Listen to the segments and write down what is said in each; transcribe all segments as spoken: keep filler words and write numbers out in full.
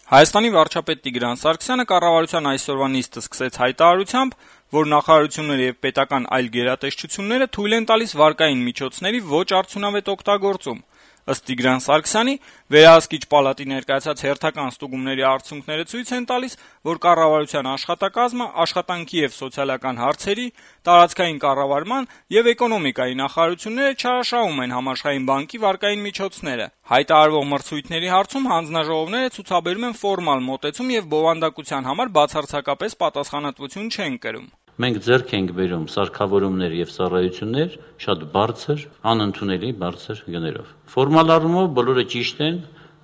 Հայաստանի վարչապետ Տիգրան Սարգսյանը կառավարության այսօրվա նիստը սկսեց հայտարարությամբ, որ նախարարությունները եւ պետական այլ գերատեսչությունները թույլ են տալիս վարկային միջոցների ոչ արդյունավետ օգտագործում։ Ըստ Տիգրան Սարգսյանի, վերահսկիչ պալատի ներկայացած հերթական ստուգումների արդյունքները ցույց են տալիս, որ կառավարության աշխատակազմը աշխատանքի եւ սոցիալական հարցերի, տարածքային կառավարման եւ էկոնոմիկայի նախարարությունները չարաշահում են Համաշխարհային բանկի վարկային միջոցները։ Հայտարարվող մրցույթների հարցում հանձնաժողովները ցուցաբերում են ֆորմալ մոտեցում եւ բովանդակության համար բացարձակապես պատասխանատվություն չեն կրում։ Մենք ձեռք ենք բերում սարքավորումներ եւ ծառայություններ շատ բարձր, անընդունելի բարձր գներով։ Ֆորմալ առումով բոլորը ճիշտ են,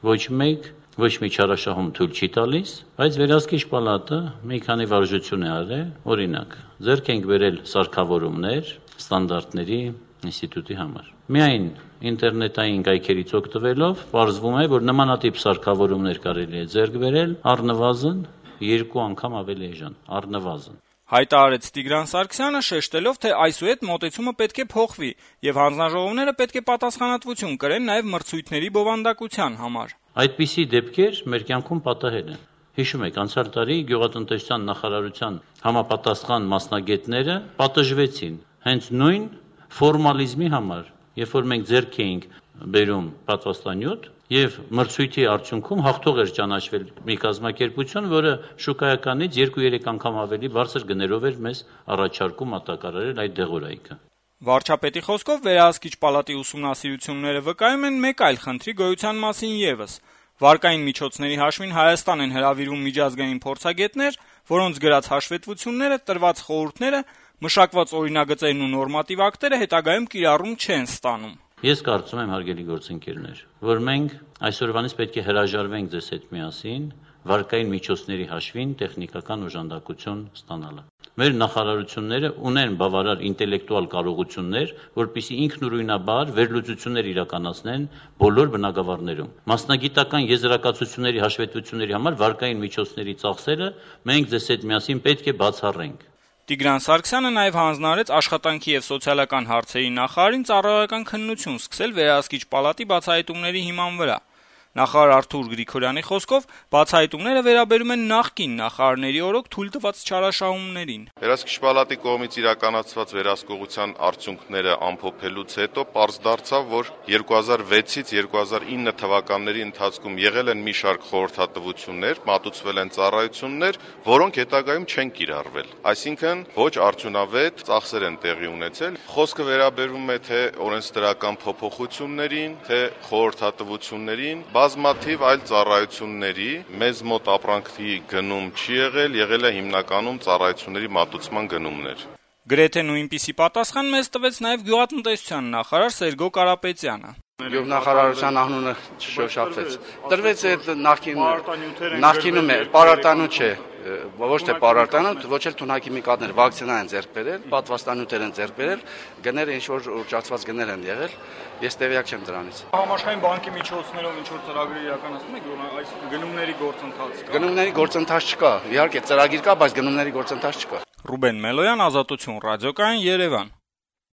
ոչ մեկ ոչ մի չարաշահում թույլ չի տալիս, բայց վերահսկիչ պալատը մի քանի վարժություն է արել, օրինակ, ձեռք ենք բերել սարքավորումներ ստանդարտների ինստիտուտի համար։ Միայն ինտերնետային կայքերից օգտվելով պարզվում է, որ նմանատիպ սարքավորումներ կարելի է ձեռք բերել առնվազն երկու անգամ ավելի էժան, առնվազն։ Հայտարարեց Տիգրան Սարգսյանը, շեշտելով, թե այսուհետ մոտեցումը պետք է փոխվի եւ հանձնաժողովները պետք է պատասխանատվություն կրեն նաեւ մրցույթների բովանդակության համար։ Այդպիսի դեպքեր մեր կյանքում պատահել են։ Հիշում եք, անցյալ տարի գյուղատնտեսության նախարարության համապատասխան մասնագետները պատժվեցին հենց նույն ֆորմալիզմի համար, երբ որ մենք ձեռք էինք բերում պատվաստանյութ եւ մրցույթի արդյունքում հաղթող էր ճանաչվել մի կազմակերպություն, որը շուկայականից երկու-երեք անգամ ավելի բարձր գներով էր մեզ առաջարկում մատակարարել այդ դեղորայքը։ Վարչապետի խոսքով վերահսկիչ պալատի ուսումնասիրությունները վկայում են մեկ այլ խնդրի գոյության մասին եւս։ Վարկային միջոցների հաշվին Հայաստան են հրավիրում միջազգային փորձագետներ, որոնց գրած հաշվետվությունները, տրված խորհուրդները, մշակված օրինագծերն ու նորմատիվ ակտերը հետագայում կիրառում չեն ստանում։ Ես կարծում եմ, հարգելի գործընկերներ, որ մենք այսօրվանից պետք է հրաժարվենք ձեզ հետ միասին վարկային միջոցների հաշվին տեխնիկական օժանդակություն ստանալը։ Մեր նախարարությունները ունեն բավարար ինտելեկտուալ կարողություններ, որպեսզի ինքնուրույնաբար վերլուծություններ իրականացնեն բոլոր բնագավառներում։ Մասնագիտական եզրակացությունների հաշվետվությունների համար վարկային միջոցների ծախսերը մենք ձեզ հետ միասին պետք է բացառենք։ Տիգրան Սարգսյանը նաև հանձնարարեց աշխատանքի եւ սոցիալական հարցերի նախարարին ծառայական քննություն սկսել վերահսկիչ պալատի բացահայտումների հիման վրա։ Նախարար Արթուր Գրիգորյանի խոսքով բացահայտումները վերաբերում են նախկին նախարարների օրոք թույլ տված չարաշահումներին։ Վերահսկիչ պալատի կողմից իրականացված վերահսկողության արդյունքները ամփոփելուց հետո պարզ դարձավ, որ երկու հազար վեցից երկու հազար ինը թվականների ընթացքում եղել են մի շարք խորհրդատվություններ, մատուցվել են ծառայություններ, որոնք հետագայում չեն կիրառվել։ Այսինքն ոչ արդյունավետ ծախսեր են տեղի ունեցել։ Խոսքը վերաբերում է թե օրենսդրական փոփոխություններին, թե խորհրդատվություններին, բազմաթիվ այլ ծառայությունների մեզ մոտ ապրանքի գնում չի եղել, եղել է հիմնականում ծառայությունների մատուցման գնումներ։ Գրեթե նույնպիսի պատասխան մեզ տվեց նաև գյուղատնտեսության նախարար Սերգո Կարապետյանը։ Գյուղնախարարության անունը չշոշափվեց։ Տրվեց այդ նախկին նախկինում է պարարտանյութ չէ, ոչ թե պարարտանյութ, ոչ էլ թունաքիմիկատներ, վակցինա են ձեռք բերել, պատվաստանյութեր են ձեռք բերել, գները ինչ որ ուռճացված գներ են եղել, ես տեղյակ չեմ դրանից։ Համաշխարհային բանկի միջոցներով ինչ որ ծրագրեր իրականացնում եք, այս գնումների գործընթաց կա։ Գնումների գործընթաց չկա։ Իհարկե ծրագիր կա, բայց գնումների գործընթաց չկա։ Ռուբեն Մելոյան, Ազատություն ռադիոկայան, Երևան։